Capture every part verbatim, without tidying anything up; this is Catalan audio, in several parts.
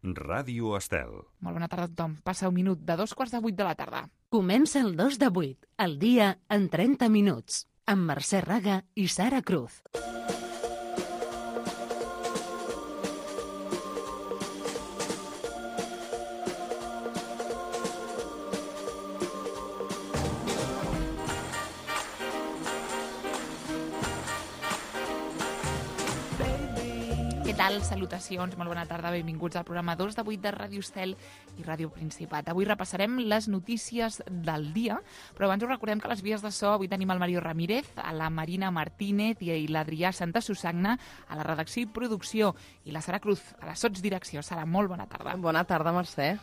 Ràdio Estel. Molt bona tarda a tothom. Passa un minut de dos quarts de vuit de la tarda. Comença el dos de vuit, el dia en trenta minuts, amb Mercè Raga i Sara Cruz. Què tal? Salutacions, molt bona tarda, benvinguts al programa dos de vuit de Ràdio Estel i Ràdio Principat. Avui repassarem les notícies del dia, però abans us recordem que a les vies de so avui tenim el Mario Ramírez, a la Marina Martínez i l'Adrià Santa Susagna a la redacció i producció, i la Sara Cruz a la sotsdirecció. Sara, molt bona tarda. Bona tarda, Mercè.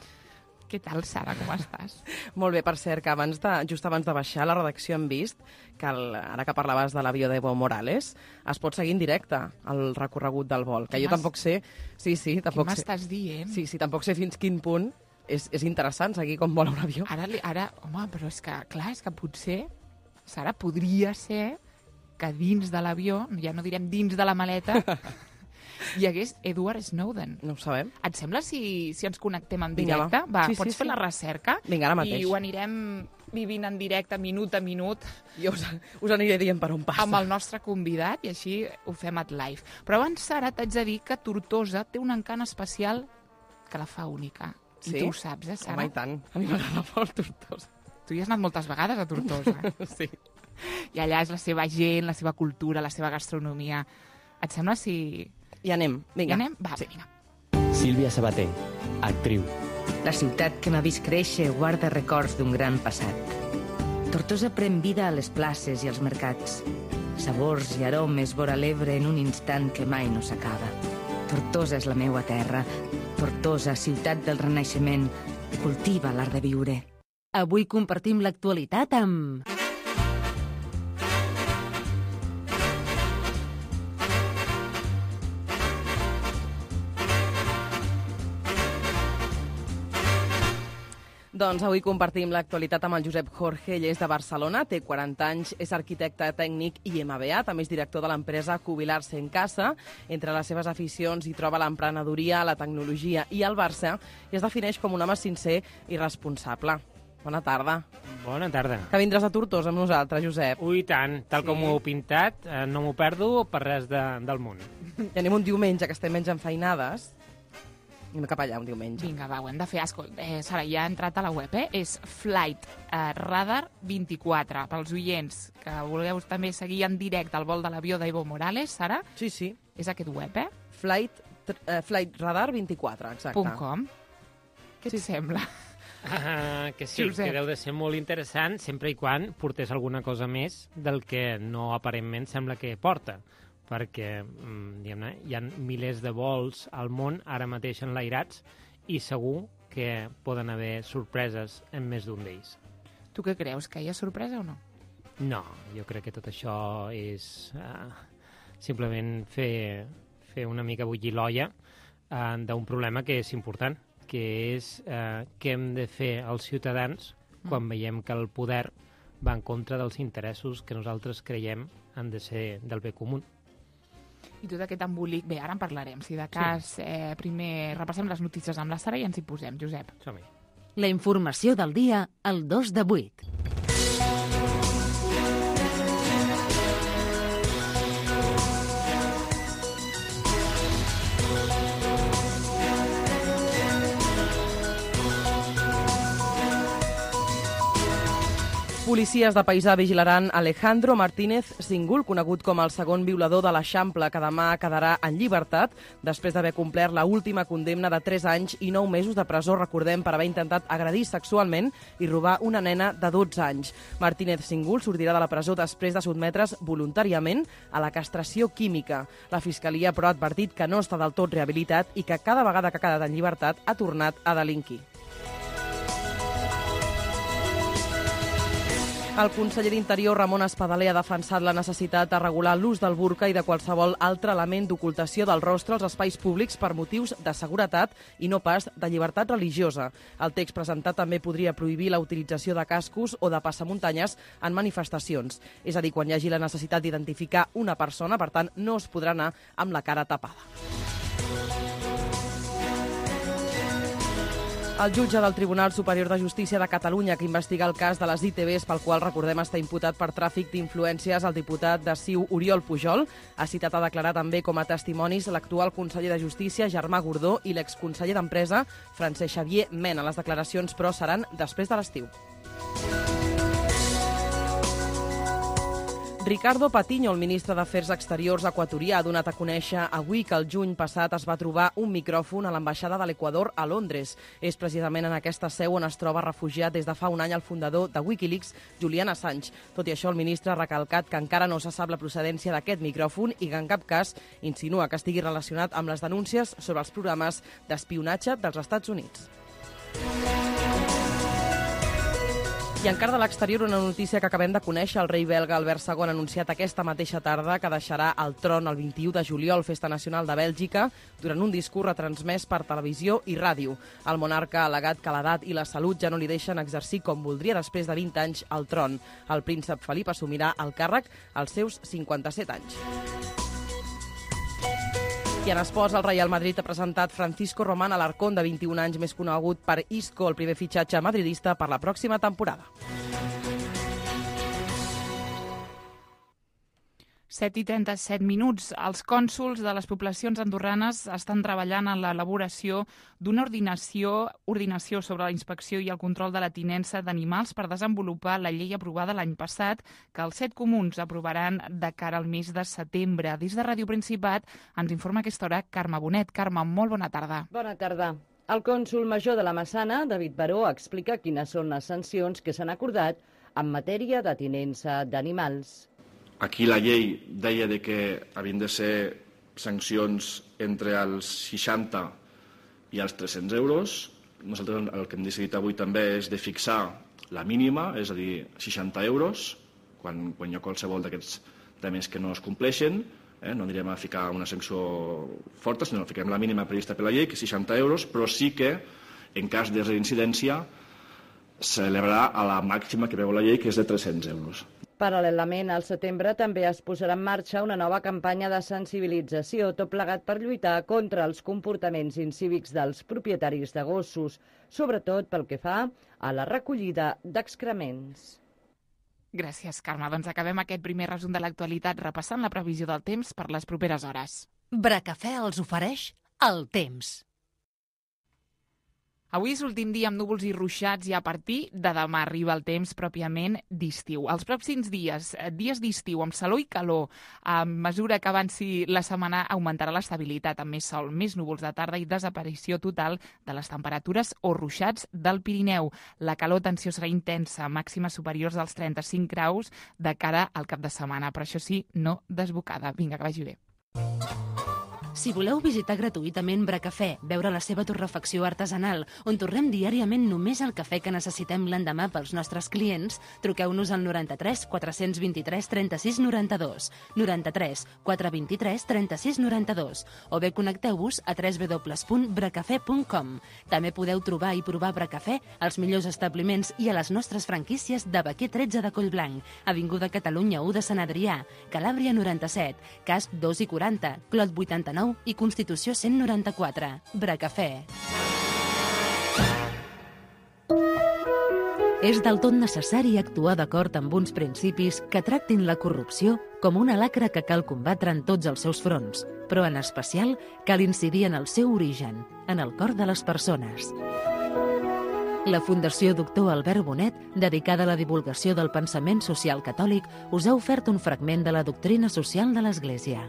Què tal, Sara, com estàs? Molt bé, per cert, que abans de, just abans de baixar a la redacció hem vist que el, ara que parlaves de l'avió d'Evo Morales es pot seguir en directe el recorregut del vol, que jo tampoc sé... Sí, sí, tampoc Què sé... m'estàs dient? Sí, sí, tampoc sé fins quin punt és, és interessant seguir com vola un avió. Ara, li- ara, home, però és que, clar, és que potser, Sara, podria ser que dins de l'avió, ja no direm dins de la maleta, hi hagués Edward Snowden. No ho sabem. Et sembla si, si ens connectem en Vinga, directe? va. Va, Sí, pots sí, fer sí. la recerca? Vinga, ara mateix. I ho anirem vivint en directe, minut a minut, Jo us, us aniré dient per on passa. amb el nostre convidat, i així ho fem at live. Però abans, Sara, t'haig de dir que Tortosa té un encant especial que la fa única. I Sí? tu ho saps, eh, Sara? Home, i tant. A mi m'agrada molt Tortosa. Tu hi has anat moltes vegades a Tortosa. Sí. I allà és la seva gent, la seva cultura, la seva gastronomia. Et sembla si... I anem, vinga. I anem? Va, Sí. vinga. Sílvia Sabater, actriu. La ciutat que m'ha vist créixer guarda records d'un gran passat. Tortosa pren vida a les places i als mercats. Sabors i aromes vora l'Ebre en un instant que mai no s'acaba. Tortosa és la meua terra. Tortosa, ciutat del Renaixement, cultiva l'art de viure. Avui compartim l'actualitat amb... Doncs avui compartim l'actualitat amb el Josep Jorge. Ell és de Barcelona, té quaranta anys, és arquitecte tècnic i M B A, també és director de l'empresa Jubilar-se en Casa. Entre les seves aficions hi troba l'emprenedoria, la tecnologia i el Barça, i es defineix com un home sincer i responsable. Bona tarda. Bona tarda. Que vindràs a Tortosa amb nosaltres, Josep. Ui, tant, tal Sí. com ho heu pintat, eh, no m'ho perdo per res de, del món. I anem un diumenge, que estem menys enfeinades. Anem cap allà un diumenge. Vinga, va, ho hem de fer. Escolta, eh, Sara, ja ha entrat a la web, eh? És Flight eh, Radar vint-i-quatre. Pels oients que vulgueu també seguir en directe el vol de l'avió d'Evo Morales, Sara, Sí, sí. és aquest web, eh? Flight, uh, Flight Radar vint-i-quatre, exacte. .com. Què et sembla? Ah, que sí, Josep. que deu de ser molt interessant sempre i quan portés alguna cosa més del que no aparentment sembla que porta, perquè mm, diguem-ne, hi ha milers de vols al món ara mateix enlairats i segur que poden haver sorpreses en més d'un d'ells. Tu què creus, que hi ha sorpresa o no? No, jo crec que tot això és uh, simplement fer, fer una mica bullir l'olla uh, d'un problema que és important, que és uh, què hem de fer els ciutadans quan veiem que el poder va en contra dels interessos que nosaltres creiem han de ser del bé comú. I tot aquest embolic... Bé, ara en parlarem. Si de cas, eh, primer repassem les notícies amb la Sara i ens hi posem, Josep. Som-hi. La informació del dia al dos de vuit. Policies de Paisà vigilaran Alejandro Martínez Singul, conegut com el segon violador de l'Eixample, que demà quedarà en llibertat després d'haver complert la última condemna de tres anys i nou mesos de presó, recordem, per haver intentat agredir sexualment i robar una nena de dotze anys. Martínez Singul sortirà de la presó després de sotmetre's voluntàriament a la castració química. La Fiscalia, però, ha advertit que no està del tot rehabilitat i que cada vegada que ha quedat en llibertat ha tornat a delinquir. El conseller d'Interior, Ramon Espadaler, ha defensat la necessitat de regular l'ús del burca i de qualsevol altre element d'ocultació del rostre als espais públics per motius de seguretat i no pas de llibertat religiosa. El text presentat també podria prohibir la utilització de cascos o de passamuntanyes en manifestacions. És a dir, quan hi hagi la necessitat d'identificar una persona, per tant, no es podrà anar amb la cara tapada. El jutge del Tribunal Superior de Justícia de Catalunya que investiga el cas de les I T Bs pel qual, recordem, està imputat per tràfic d'influències el diputat de C I U Oriol Pujol, ha citat a declarar també com a testimonis l'actual conseller de Justícia, Germà Gordó, i l'exconseller d'Empresa, Francesc Xavier Mena. Les declaracions, però, seran després de l'estiu. Ricardo Patiño, el ministre d'Afers Exteriors equatorià, ha donat a conèixer avui que el juny passat es va trobar un micròfon a l'ambaixada de l'Equador a Londres. És precisament en aquesta seu on es troba refugiat des de fa un any el fundador de Wikileaks, Julian Assange. Tot i això, el ministre ha recalcat que encara no se sap la procedència d'aquest micròfon i que en cap cas insinua que estigui relacionat amb les denúncies sobre els programes d'espionatge dels Estats Units. I encara de l'exterior, una notícia que acabem de conèixer. El rei belga Albert segon ha anunciat aquesta mateixa tarda que deixarà el tron el vint-i-u de juliol, festa nacional de Bèlgica, durant un discurs retransmès per televisió i ràdio. El monarca ha al·legat que l'edat i la salut ja no li deixen exercir com voldria després de vint anys al tron. El príncep Felip assumirà el càrrec als seus cinquanta-set anys. I en esports, el Real Madrid ha presentat Francisco Román Alarcón, de vint-i-un anys, més conegut per Isco, el primer fitxatge madridista per la pròxima temporada. set i trenta-set minuts. Els cònsols de les poblacions andorranes estan treballant en l'elaboració d'una ordinació, ordinació sobre la inspecció i el control de la tinença d'animals per desenvolupar la llei aprovada l'any passat, que els set comuns aprovaran de cara al mes de setembre. Des de Ràdio Principat ens informa a aquesta hora Carme Bonet. Carme, molt bona tarda. Bona tarda. El cònsol major de la Massana, David Baró, explica quines són les sancions que s'han acordat en matèria de tinença d'animals. Aquí la llei deia de que havien de ser sancions entre els seixanta i els tres-cents euros. Nosaltres el que hem decidit avui també és de fixar la mínima, és a dir, seixanta euros, quan, quan hi ha qualsevol d'aquests temes que no es compleixen. Eh? No anirem a ficar una sanció forta, sinó que ficarem la mínima prevista per la llei, que és seixanta euros, però sí que, en cas de reincidència, s'elevarà a la màxima que veu la llei, que és de tres-cents euros. Paral·lelament, al setembre també es posarà en marxa una nova campanya de sensibilització, tot plegat per lluitar contra els comportaments incívics dels propietaris de gossos, sobretot pel que fa a la recollida d'excrements. Gràcies, Carme. Doncs acabem aquest primer resum de l'actualitat repassant la previsió del temps per les properes hores. Bracafè els ofereix el temps. Avui és l'últim dia amb núvols i ruixats i a partir de demà arriba el temps pròpiament d'estiu. Els pròxims dies, dies d'estiu amb calor i calor, a mesura que avanci la setmana augmentarà l'estabilitat amb més sol, més núvols de tarda i desaparició total de les temperatures o ruixats del Pirineu. La calor tensió serà intensa, màximes superiors als trenta-cinc graus de cara al cap de setmana, però això sí, no desbocada. Vinga, que vagi bé. Si voleu visitar gratuïtament Bracafè, veure la seva torrefacció artesanal, on torrem diàriament només el cafè que necessitem l'endemà pels nostres clients, truqueu-nos al noranta-tres quatre-cents vint-i-tres trenta-sis noranta-dos, noranta-tres quatre vint-i-tres trenta-sis noranta-dos, o bé connecteu-vos a w w w punt bracafè punt com. També podeu trobar i provar Bracafè als millors establiments i a les nostres franquícies de Baquer tretze de Collblanc, Avinguda Catalunya u de Sant Adrià, Calàbria noranta-set, Casp dos i quaranta, Clot vuitanta-nou i Constitució cent noranta-quatre. Bracafè. És del tot necessari actuar d'acord amb uns principis que tractin la corrupció com una lacra que cal combatre en tots els seus fronts, però en especial cal incidir en el seu origen, en el cor de les persones. La Fundació Doctor Albert Bonet, dedicada a la divulgació del pensament social catòlic, us ha ofert un fragment de la doctrina social de l'Església.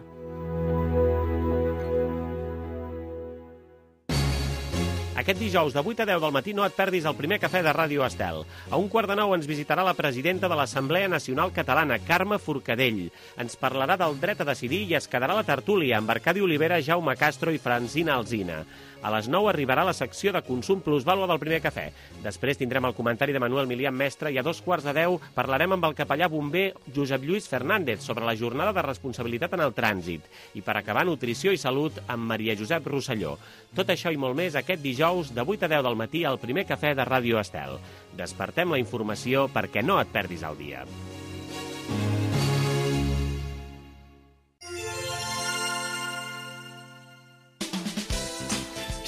Aquest dijous de vuit a deu del matí no et perdis el primer cafè de Ràdio Estel. A un quart de nou ens visitarà la presidenta de l'Assemblea Nacional Catalana, Carme Forcadell. Ens parlarà del dret a decidir i es quedarà la tertúlia amb Arcadi Olivera, Jaume Castro i Francina Alsina. A les nou arribarà la secció de consum plusvàlua del primer cafè. Després tindrem el comentari de Manuel Milian Mestre i a dos quarts de deu parlarem amb el capellà bomber Josep Lluís Fernández sobre la jornada de responsabilitat en el trànsit. I per acabar, nutrició i salut amb Maria Josep Rosselló. Tot això i molt més aquest dijous de vuit a deu del matí al primer cafè de Ràdio Estel. Despertem la informació perquè no et perdis el dia.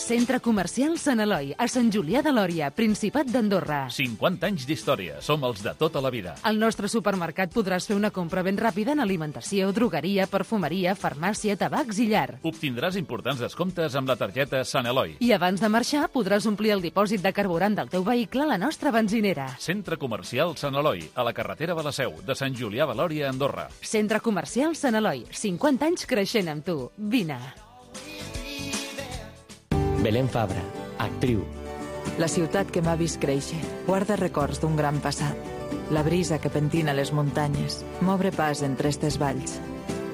Centre Comercial Sant Eloi, a Sant Julià de Lòria, Principat d'Andorra. cinquanta anys d'història. Som els de tota la vida. Al nostre supermercat podràs fer una compra ben ràpida en alimentació, drogueria, perfumeria, farmàcia, tabacs i llar. Obtindràs importants descomptes amb la targeta Sant Eloi. I abans de marxar podràs omplir el dipòsit de carburant del teu vehicle a la nostra benzinera. Centre Comercial Sant Eloi, a la carretera de la Seu, de Sant Julià de Lòria, Andorra. Centre Comercial Sant Eloi, cinquanta anys creixent amb tu. Vine. Belén Fabra, actriu. La ciutat que m'ha vist créixer guarda records d'un gran passat. La brisa que pentina les muntanyes m'obre pas entre estes valls.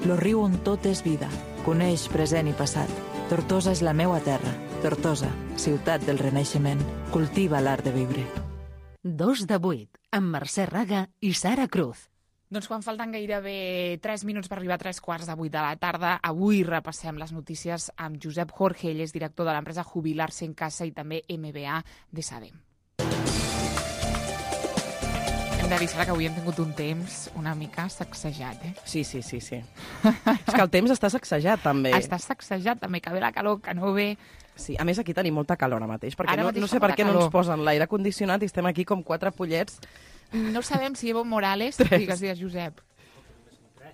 Lo riu on tot és vida, coneix present i passat. Tortosa és la meua terra. Tortosa, ciutat del Renaixement, cultiva l'art de viure. Dos de vuit, amb Mercè Raga i Sara Cruz. Doncs quan falten gairebé tres minuts per arribar a tres quarts de vuit de la tarda, avui repassem les notícies amb Josep Jorge, ell és director de l'empresa Jubilar-se en Casa i també M B A de Sadem. Hem de dir, Sara, que avui hem tingut un temps una mica sacsejat, eh? Sí, sí, sí, sí. És que el temps està sacsejat, també. Està sacsejat, també, que ve la calor, que no ve... Sí, a més aquí tenim molta calor ara mateix, perquè Ara no, mateix no sé fa per què molta no ens calor. posen l'aire condicionat i estem aquí com quatre pollets. No sabem si Evo Morales... Tres. Digues, digues, Josep.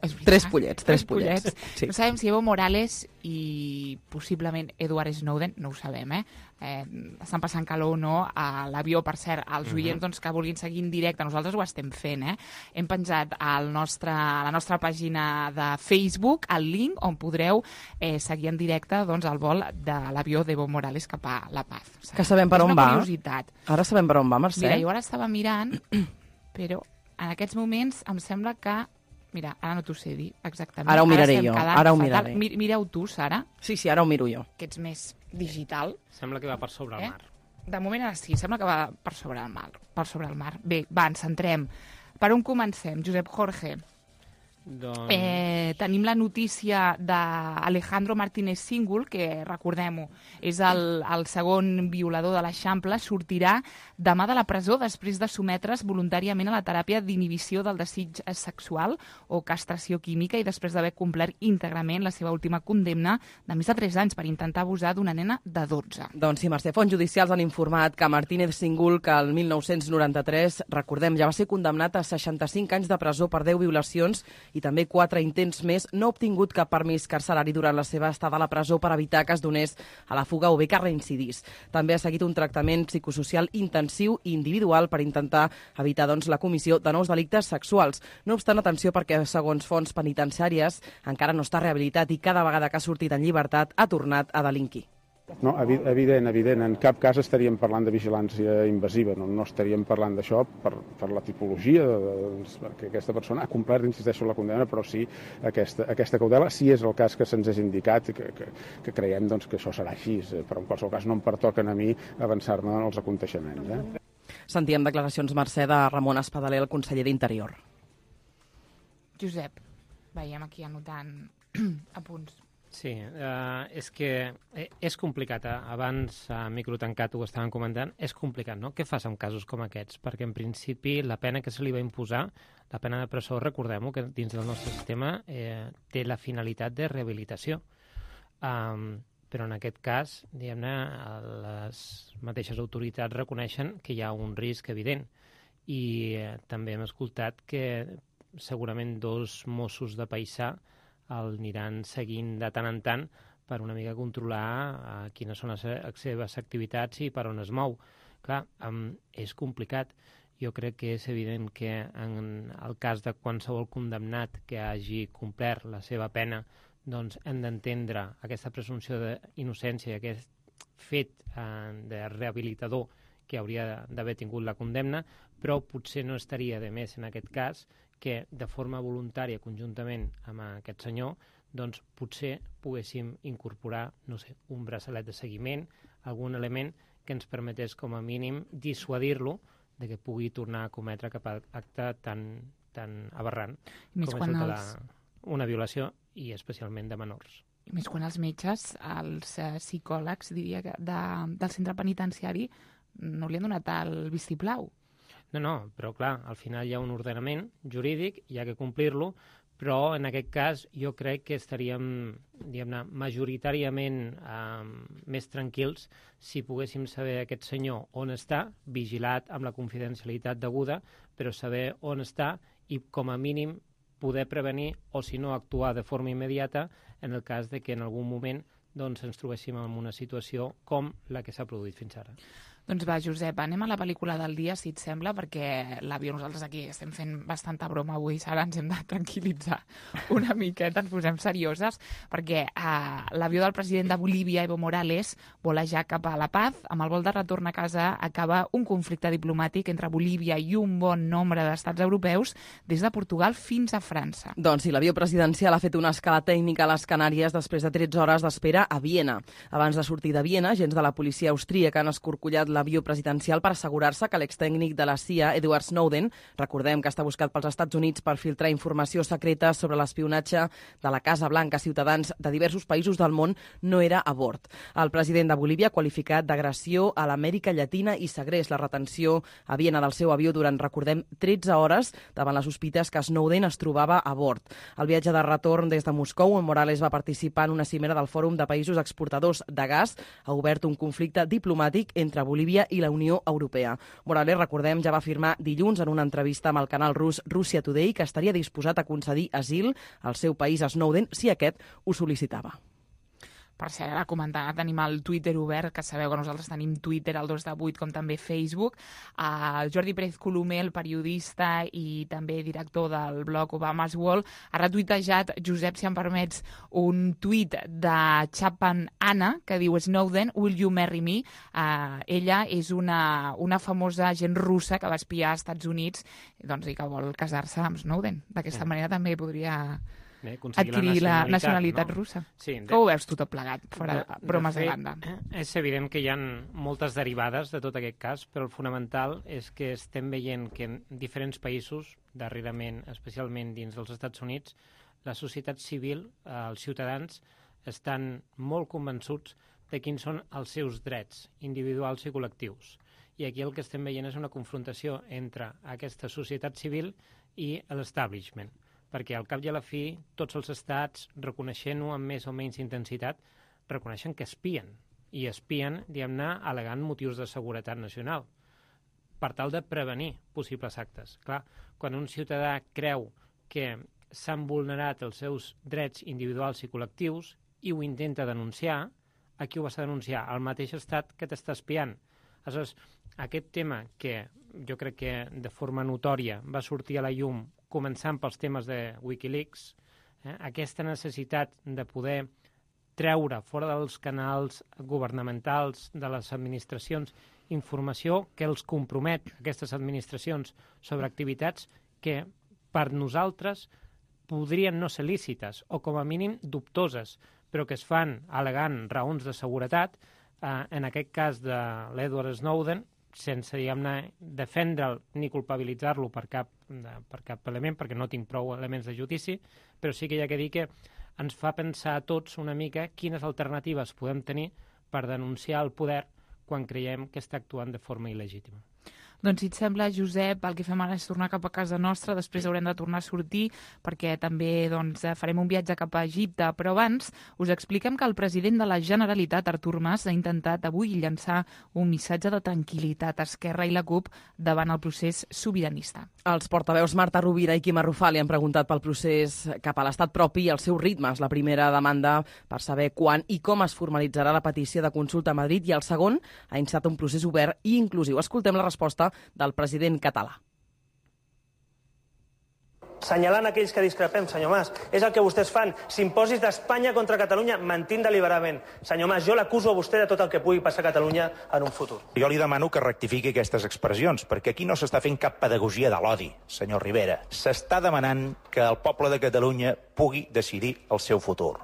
És veritat? Tres pollets, tres pollets. Sí. No sabem si Evo Morales i possiblement Edward Snowden, no ho sabem, eh? eh estan passant calor o no a l'avió. Per cert, als Mhm. oients doncs, que vulguin seguir en directe, nosaltres ho estem fent, eh? Hem penjat al nostre, a la nostra pàgina de Facebook el link on podreu eh, seguir en directe doncs, el vol de l'avió d'Evo Morales cap a La Paz. O sigui, Que sabem per és on una va. curiositat. Ara sabem per on va, Mercè. Mira, jo ara estava mirant, però en aquests moments em sembla que... Mira, ara no t'ho sé dir exactament. Ara ho miraré estem jo, quedant ara ho fatal. miraré. Mi- Mireu tu, Sara, Sí, sí, ara ho miro jo. que ets més digital. Sembla que va per sobre el Eh? mar. De moment ara sí, sembla que va per sobre el mar. Per sobre el mar. Bé, va, ens centrem. Per on comencem, Josep Jorge? Doncs... Eh, tenim la notícia d'Alejandro Martínez Singul, que, recordem-ho, és el, el segon violador de l'Eixample, sortirà demà de la presó després de sometre's voluntàriament a la teràpia d'inhibició del desig sexual o castració química i després d'haver complert íntegrament la seva última condemna de més de tres anys per intentar abusar d'una nena de dotze. Doncs sí, Mercè, fonts judicials han informat que Martínez Singul, que el mil nou-cents noranta-tres, recordem, ja va ser condemnat a seixanta-cinc anys de presó per deu violacions i també quatre intents més, no ha obtingut cap permís carcerari durant la seva estada a la presó per evitar que es donés a la fuga o bé que reincidís. També ha seguit un tractament psicosocial intensiu i individual per intentar evitar doncs, la comissió de nous delictes sexuals. No obstant, atenció, perquè segons fonts penitenciàries encara no està rehabilitat i cada vegada que ha sortit en llibertat ha tornat a delinquir. No, evident, evident. En cap cas estaríem parlant de vigilància invasiva, no, no estaríem parlant d'això per, per la tipologia, de, de, perquè aquesta persona ha complert, insisteixo, la condemna, però sí aquesta, aquesta cautela, si és el cas que se'ns és indicat, que, que, que creiem doncs, que això serà així, però en qualsevol cas no em pertoquen a mi avançar-me en els aconteixements. Eh? Sentíem declaracions, Mercè, de Ramon Espadaler, el conseller d'Interior. Josep, veiem aquí anotant apunts. Sí, eh, és que eh, és complicat. Eh? Abans, a micro tancat, ho estàvem comentant, és complicat, no? Què fas en casos com aquests? Perquè, en principi, la pena que se li va imposar, la pena de presó, recordem-ho, que dins del nostre sistema eh, té la finalitat de rehabilitació. Um, però en aquest cas, diguem-ne, les mateixes autoritats reconeixen que hi ha un risc evident. I eh, també hem escoltat que segurament dos Mossos de paisà el aniran seguint de tant en tant per una mica controlar uh, quines són les, les seves activitats i per on es mou. Clar, um, és complicat. Jo crec que és evident que en el cas de qualsevol condemnat que hagi complert la seva pena, doncs hem d'entendre aquesta presumpció d'innocència, aquest fet uh, de rehabilitador que hauria d'haver tingut la condemna, però potser no estaria de més en aquest cas que de forma voluntària, conjuntament amb aquest senyor, doncs potser poguéssim incorporar, no sé, un braçalet de seguiment, algun element que ens permetés com a mínim dissuadir-lo de que pugui tornar a cometre cap acte tan, tan aberrant Més com quan és el de els... la, una violació i especialment de menors. I més quan els metges, els eh, psicòlegs, diria, que de, del centre penitenciari no li han donat el vistiplau. No, no, però clar, al final hi ha un ordenament jurídic, hi ha que complir-lo, però en aquest cas jo crec que estaríem, diguem-ne, majoritàriament eh, més tranquils si poguéssim saber aquest senyor on està, vigilat amb la confidencialitat deguda, però saber on està i com a mínim poder prevenir o si no actuar de forma immediata en el cas de que en algun moment doncs, ens trobéssim en una situació com la que s'ha produït fins ara. Doncs va, Josep, anem a la pel·lícula del dia, si et sembla, perquè l'avió, nosaltres aquí estem fent bastanta broma avui, Sara, ens hem de tranquil·litzar una miqueta, ens posem serioses, perquè eh, l'avió del president de Bolívia, Evo Morales, volejar cap a La Paz. Amb el vol de retorn a casa acaba un conflicte diplomàtic entre Bolívia i un bon nombre d'estats europeus, des de Portugal fins a França. Doncs sí, l'avió presidencial ha fet una escala tècnica a les Canàries després de tretze hores d'espera a Viena. Abans de sortir de Viena, agents de la policia austríaca han escorcollat l'avió presidencial per assegurar-se que l'extècnic de la C I A, Edward Snowden, recordem que està buscat pels Estats Units per filtrar informació secreta sobre l'espionatge de la Casa Blanca a ciutadans de diversos països del món, no era a bord. El president de Bolívia ha qualificat d'agressió a l'Amèrica Llatina i segrest la retenció a Viena del seu avió durant, recordem, tretze hores davant les sospites que Snowden es trobava a bord. El viatge de retorn des de Moscou, on Morales va participar en una cimera del Fòrum de Països Exportadors de Gas, ha obert un conflicte diplomàtic entre Bolívia i la Unió Europea. Morales, recordem, ja va afirmar dilluns en una entrevista amb el canal rus Russia Today que estaria disposat a concedir asil al seu país a Snowden si aquest ho sol·licitava. Per cert, ara comentar, tenim el Twitter obert, que sabeu que nosaltres tenim Twitter al dos de vuit, com també Facebook. Uh, Jordi Pérez Colomer, el periodista i també director del blog Obama's World, ha retuitejat, Josep, si em permets, un tuit de Chapman Anna, que diu Snowden, will you marry me? Uh, ella és una, una famosa agent russa que va espiar als Estats Units, doncs, i que vol casar-se amb Snowden. D'aquesta manera també podria... Bé, adquirir la nacionalitat, la nacionalitat no? russa. Sí, de... Com ho veus tu tot plegat, fora de, bromes de, de banda? És evident que hi ha moltes derivades de tot aquest cas, però el fonamental és que estem veient que en diferents països, darrerament, especialment dins dels Estats Units, la societat civil, eh, els ciutadans, estan molt convençuts de quins són els seus drets individuals i col·lectius. I aquí el que estem veient és una confrontació entre aquesta societat civil i l'establishment, perquè al cap i a la fi tots els estats, reconeixent-ho amb més o menys intensitat, reconeixen que espien, i espien, diguem-ne, al·legant motius de seguretat nacional, per tal de prevenir possibles actes. Clar, quan un ciutadà creu que s'han vulnerat els seus drets individuals i col·lectius i ho intenta denunciar, a qui ho vas a denunciar? Al mateix estat que t'està espiant. Aleshores, aquest tema que jo crec que de forma notòria va sortir a la llum començant pels temes de Wikileaks, eh, aquesta necessitat de poder treure fora dels canals governamentals de les administracions informació que els compromet, aquestes administracions, sobre activitats que per nosaltres podrien no ser lícites o com a mínim dubtoses, però que es fan al·legant raons de seguretat, eh, en aquest cas de l'Edward Snowden, sense, diguem-ne, defendre'l ni culpabilitzar-lo per cap, per cap element, perquè no tinc prou elements de judici, però sí que hi ha que dir que ens fa pensar a tots una mica quines alternatives podem tenir per denunciar el poder quan creiem que està actuant de forma il·legítima. Doncs si et sembla, Josep, el que fem ara és tornar cap a casa nostra, després haurem de tornar a sortir perquè també doncs, farem un viatge cap a Egipte, però abans us expliquem que el president de la Generalitat, Artur Mas, ha intentat avui llançar un missatge de tranquil·litat a Esquerra i la CUP davant el procés sobiranista. Els portaveus Marta Rovira i Quim Arrufat li han preguntat pel procés cap a l'estat propi i els seus ritmes. La primera demanda per saber quan i com es formalitzarà la petició de consulta a Madrid i el segon ha instat un procés obert i inclusiu. Escoltem la resposta del president català. Senyalant aquells que discrepem, senyor Mas, és el que vostès fan. S'imposis d'Espanya contra Catalunya mentint deliberadament. Senyor Mas, jo l'acuso a vostè de tot el que pugui passar a Catalunya en un futur. Jo li demano que rectifiqui aquestes expressions, perquè aquí no s'està fent cap pedagogia de l'odi, senyor Rivera. S'està demanant que el poble de Catalunya pugui decidir el seu futur.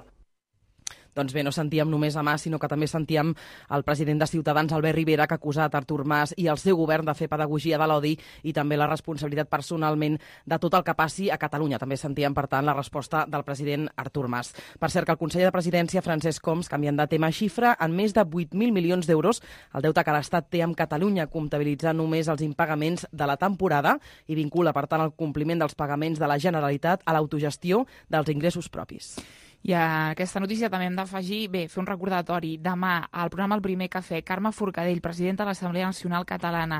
Doncs bé, no sentíem només a Mas, sinó que també sentíem el president de Ciutadans, Albert Rivera, que ha acusat Artur Mas i el seu govern de fer pedagogia de l'odi i també la responsabilitat personalment de tot el que passi a Catalunya. També sentíem, per tant, la resposta del president Artur Mas. Per cert, que el conseller de Presidència, Francesc Homs, canviant de tema, xifra en més de vuit mil milions d'euros el deute que l'Estat té amb Catalunya, comptabilitzant només els impagaments de la temporada i vincula, per tant, el compliment dels pagaments de la Generalitat a l'autogestió dels ingressos propis. I a aquesta notícia també hem d'afegir, bé, fer un recordatori. Demà, al programa El Primer Cafè, Carme Forcadell, presidenta de l'Assemblea Nacional Catalana,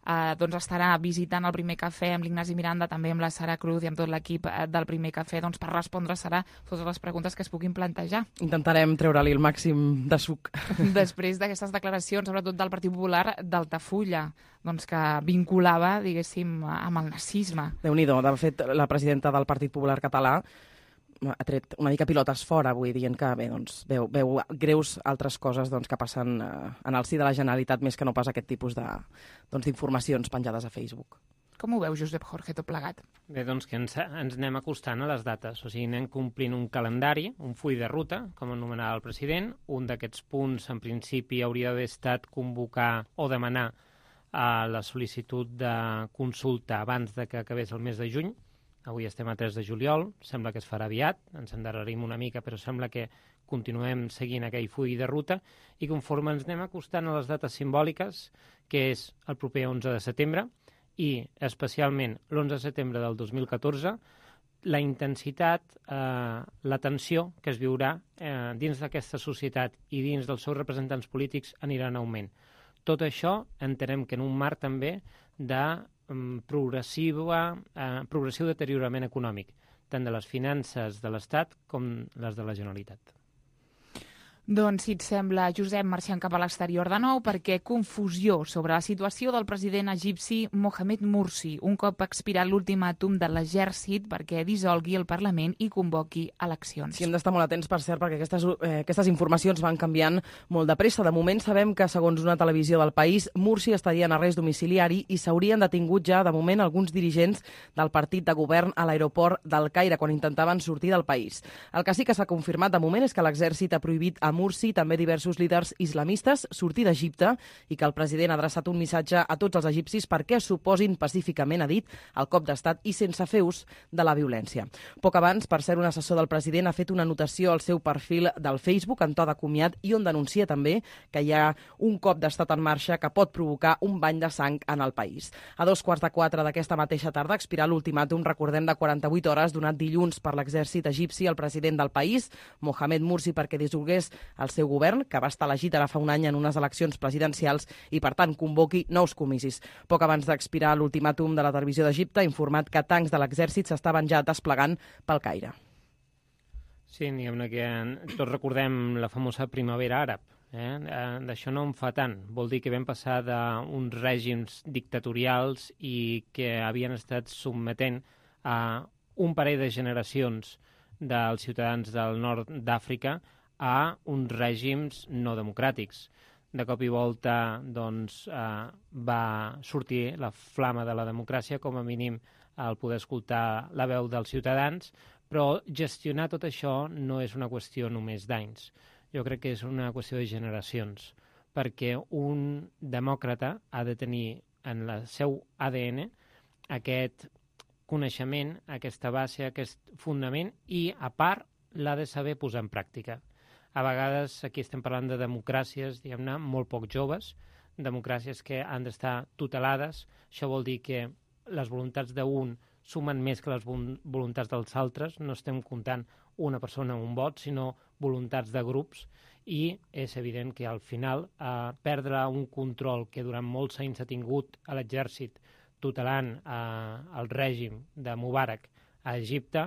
eh, doncs estarà visitant el Primer Cafè amb l'Ignasi Miranda, també amb la Sara Cruz i amb tot l'equip del Primer Cafè, doncs per respondre serà totes les preguntes que es puguin plantejar. Intentarem treure-li el màxim de suc. Després d'aquestes declaracions, sobretot del Partit Popular, d'Altafulla, doncs que vinculava, diguéssim, amb el nazisme. Déu-n'hi-do. De fet, la presidenta del Partit Popular català ha tret una mica pilotes fora avui, dient que bé, doncs, veu, veu greus altres coses doncs, que passen eh, en el si de la Generalitat, més que no pas aquest tipus de, doncs, d'informacions penjades a Facebook. Com ho veu, Josep Jorge, tot plegat? Bé, doncs que ens, ens anem acostant a les dates, o sigui, anem complint un calendari, un full de ruta, com anomenava el president. Un d'aquests punts, en principi, hauria d'haver estat convocar o demanar a la sol·licitud de consulta abans de que acabés el mes de juny. Avui estem a tres de juliol, sembla que es farà aviat, ens endarrerim una mica, però sembla que continuem seguint aquell full de ruta i conforme ens anem acostant a les dates simbòliques, que és el proper onze de setembre i especialment l'onze de setembre del dos mil catorze, la intensitat, eh, la tensió que es viurà eh, dins d'aquesta societat i dins dels seus representants polítics anirà en augment. Tot això entenem que en un marc també de progressiu, eh, progressiu deteriorament econòmic, tant de les finances de l'Estat com les de la Generalitat. Doncs, si et sembla, Josep, marxem cap a l'exterior de nou, perquè confusió sobre la situació del president egipci Mohamed Morsi, un cop expirat l'ultimàtum de l'exèrcit perquè dissolgui el Parlament i convoqui eleccions. Sí, hem d'estar molt atents, per cert, perquè aquestes, eh, aquestes informacions van canviant molt de pressa. De moment sabem que, segons una televisió del país, Morsi estaria en arrest domiciliari i s'haurien detingut ja, de moment, alguns dirigents del partit de govern a l'aeroport del Caire quan intentaven sortir del país. El que sí que s'ha confirmat de moment és que l'exèrcit ha prohibit a Morsi, també diversos líders islamistes, sortir d'Egipte i que el president ha adreçat un missatge a tots els egipcis perquè s'oposin pacíficament, ha dit, al cop d'estat i sense fer ús de la violència. Poc abans, per ser un assessor del president, ha fet una anotació al seu perfil del Facebook en to de comiat i on denuncia també que hi ha un cop d'estat en marxa que pot provocar un bany de sang en el país. A dos quarts de quatre d'aquesta mateixa tarda expirà l'ultimàtum, recordem, de quaranta-vuit hores donat dilluns per l'exèrcit egipci al president del país, Mohamed Morsi, perquè dissolgués el seu govern, que va estar elegit ara fa un any en unes eleccions presidencials i, per tant, convoqui nous comicis. Poc abans d'expirar l'ultimàtum de la televisió d'Egipte ha informat que tancs de l'exèrcit s'estaven ja desplegant pel Caire. Sí, diguem-ne que tots recordem la famosa primavera àrab. Eh? D'això no en fa tant. Vol dir que vam passar d'uns règims dictatorials i que havien estat sotmetent a un parell de generacions dels ciutadans del nord d'Àfrica a uns règims no democràtics. De cop i volta doncs, eh, va sortir la flama de la democràcia, com a mínim el poder escoltar la veu dels ciutadans, però gestionar tot això no és una qüestió només d'anys. Jo crec que és una qüestió de generacions, perquè un demòcrata ha de tenir en el seu A D N aquest coneixement, aquesta base, aquest fundament i, a part, l'ha de saber posar en pràctica. A vegades aquí estem parlant de democràcies, diguem-ne, molt poc joves, democràcies que han d'estar tutelades. Això vol dir que les voluntats d'un sumen més que les voluntats dels altres. No estem comptant una persona o un vot, sinó voluntats de grups. I és evident que al final eh, perdre un control que durant molts anys ha tingut a l'exèrcit tutelant eh, el règim de Mubarak a Egipte,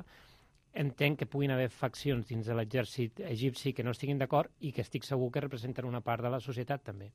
entenc que puguin haver faccions dins de l'exèrcit egipci que no estiguin d'acord i que estic segur que representen una part de la societat també.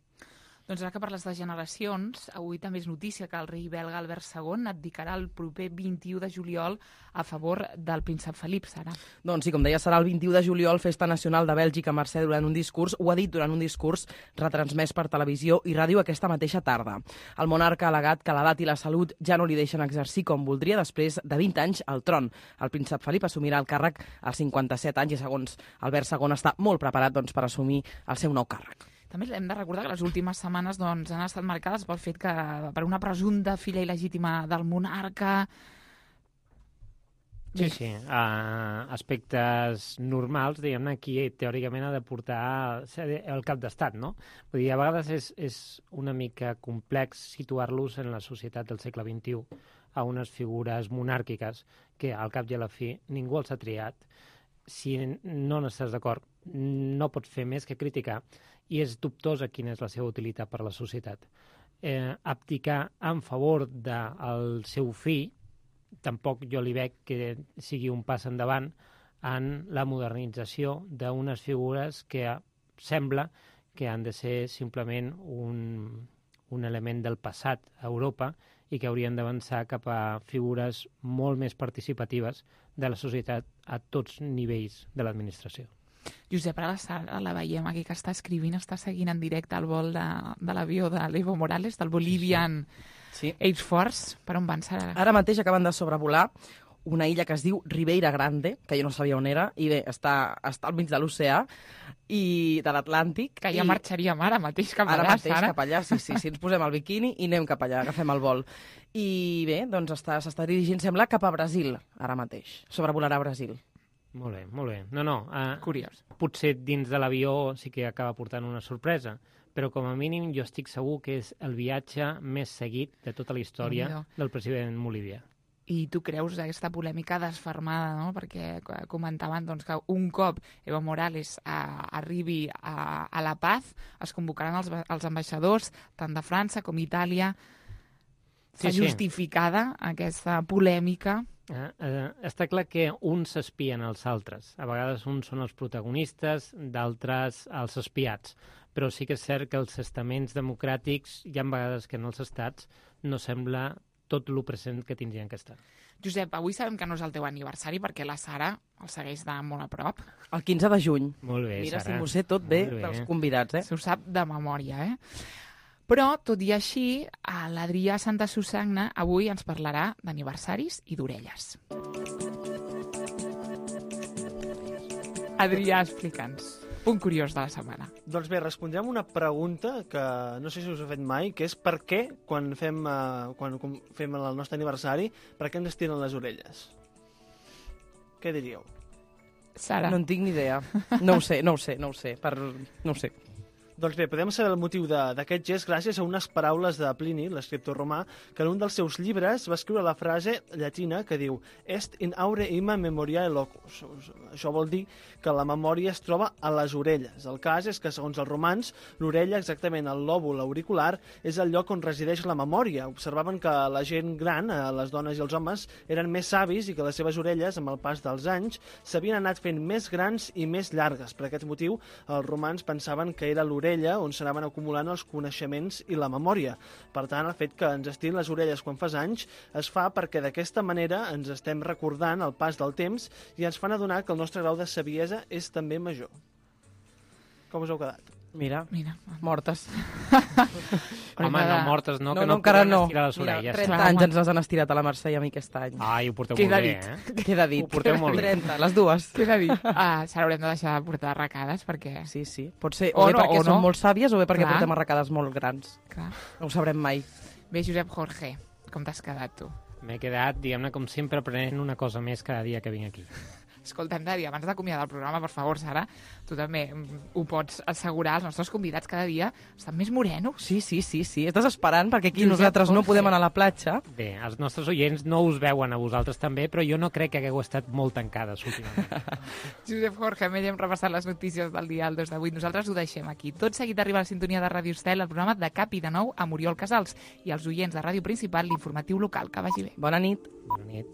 Doncs ara que parles de generacions, avui també és notícia que el rei belga Albert segon abdicarà el proper vint-i-u de juliol a favor del príncep Felip, Sara. Doncs sí, com deia, serà el vint-i-u de juliol, Festa Nacional de Bèlgica. Mercè, durant un discurs, ho ha dit durant un discurs retransmès per televisió i ràdio aquesta mateixa tarda. El monarca ha al·legat que l'edat i la salut ja no li deixen exercir com voldria després de vint anys al tron. El príncep Felip assumirà el càrrec als cinquanta-set anys i, segons Albert segon, està molt preparat doncs, per assumir el seu nou càrrec. També hem de recordar que les últimes setmanes doncs, han estat marcades pel fet que per una presumpta filla il·legítima del monarca... Sí, sí. Uh, aspectes normals, diguem-ne, aquí teòricament ha de portar el cap d'estat, no? Vull dir, a vegades és, és una mica complex situar-los en la societat del segle vint-i-u a unes figures monàrquiques que, al cap i a la fi, ningú els ha triat. Si no n'estàs d'acord, no pots fer més que criticar, i és dubtosa quina és la seva utilitat per a la societat. Eh, abdicar en favor del seu fill, tampoc jo li veig que sigui un pas endavant en la modernització d'unes figures que sembla que han de ser simplement un, un element del passat a Europa i que haurien d'avançar cap a figures molt més participatives de la societat a tots nivells de l'administració. Josep, ara la Sara la veiem aquí que està escrivint, està seguint en directe el vol de, de l'avió de l'Evo Morales, del Bolivian sí, sí. Air Force. Per on van, Sara? Ara mateix acaben de sobrevolar una illa que es diu Ribeira Grande, que jo no sabia on era, i bé, està, està al mig de l'oceà i de l'Atlàntic. Que ja i... marxaríem ara mateix cap allà, Ara mateix Sara. cap allà, sí, sí, sí, ens posem el biquini i anem cap allà, agafem el vol. I bé, doncs s'està està dirigint, sembla, cap a Brasil, ara mateix. Sobrevolarà Brasil. Molt bé, molt bé. No, no. Uh, Curiós. Potser dins de l'avió sí que acaba portant una sorpresa, però com a mínim jo estic segur que és el viatge més seguit de tota la història no. del president Bolívia. I tu creus aquesta polèmica desfermada, no? Perquè comentaven doncs, que un cop Evo Morales a, arribi a, a La Paz es convocaran els, els ambaixadors tant de França com Itàlia. S'ha Sí, sí. justificada aquesta polèmica. Eh, eh, està clar que uns s'espien als altres. A vegades uns són els protagonistes, d'altres els espiats. Però sí que és cert que els estaments democràtics, hi ha vegades que en els estats, no sembla tot el present que tindrien que estar. Josep, avui sabem que no és el teu aniversari perquè la Sara el segueix de molt a prop. El quinze de juny. Molt bé, Mira, Sara. si m'ho sé tot bé, Molt bé. dels convidats, eh? Se ho sap de memòria, eh? Però, tot i així, l'Adrià Santa Susagna avui ens parlarà d'aniversaris i d'orelles. Adrià, explica'ns. Punt curiós de la setmana. Doncs bé, respondrem una pregunta que no sé si us he fet mai, que és per què, quan fem, uh, quan fem el nostre aniversari, per què ens estiren les orelles? Què diríeu? Sara. No en tinc ni idea. No ho sé, no ho sé, no ho sé. Per... No ho sé. Doncs bé, podem saber el motiu d'aquest gest gràcies a unes paraules de Plini, l'escriptor romà, que en un dels seus llibres va escriure la frase llatina que diu «Est in aure ima memoriae locus». Això vol dir que la memòria es troba a les orelles. El cas és que, segons els romans, l'orella, exactament el lòbul auricular, és el lloc on resideix la memòria. Observaven que la gent gran, les dones i els homes, eren més savis i que les seves orelles, amb el pas dels anys, s'havien anat fent més grans i més llargues. Per aquest motiu, els romans pensaven que era l'orella on s'anaven acumulant els coneixements i la memòria. Per tant, el fet que ens estirin les orelles quan fas anys es fa perquè d'aquesta manera ens estem recordant el pas del temps i ens fan adonar que el nostre grau de saviesa és també major. Com us heu quedat? Mira, Mira. mortes. Home, no, mortes no, no que no, no encara podem no. estirar les Mira, orelles. trenta anys ens les han estirat a la Mercè i a mi aquest any. Ai, ho porteu Queda molt bé, dit. eh? Queda dit. Ho porteu molt bé. trenta, les dues. Queda dit. Ah, Sara, haurem de deixar de portar arracades perquè... Sí, sí. Pot ser O o bé no, perquè o són no. molt sàvies o bé perquè Clar. portem arracades molt grans. Clar. No ho sabrem mai. Bé, Josep Jorge, com t'has quedat tu? M'he quedat, diguem-ne, com sempre, aprenent una cosa més cada dia que vinc aquí. Escolta, hem de dir, abans d'acomiadar el programa, per favor, Sara, tu també ho pots assegurar, els nostres convidats cada dia estan més morenos. Sí, sí, sí, sí. Estàs esperant perquè aquí Josep nosaltres no Jorge. podem anar a la platja. Bé, els nostres oients no us veuen a vosaltres també, però jo no crec que hagueu estat molt tancades últimament. Josep Jorge, més hem repassat les notícies del dia del dos de vuit. Nosaltres ho deixem aquí. Tot seguit arriba a la sintonia de Ràdio Estel, el programa de Cap i de Nou amb Oriol Casals i els oients de Ràdio Principal, l'informatiu local. Que vagi bé. Bona nit. Bona nit.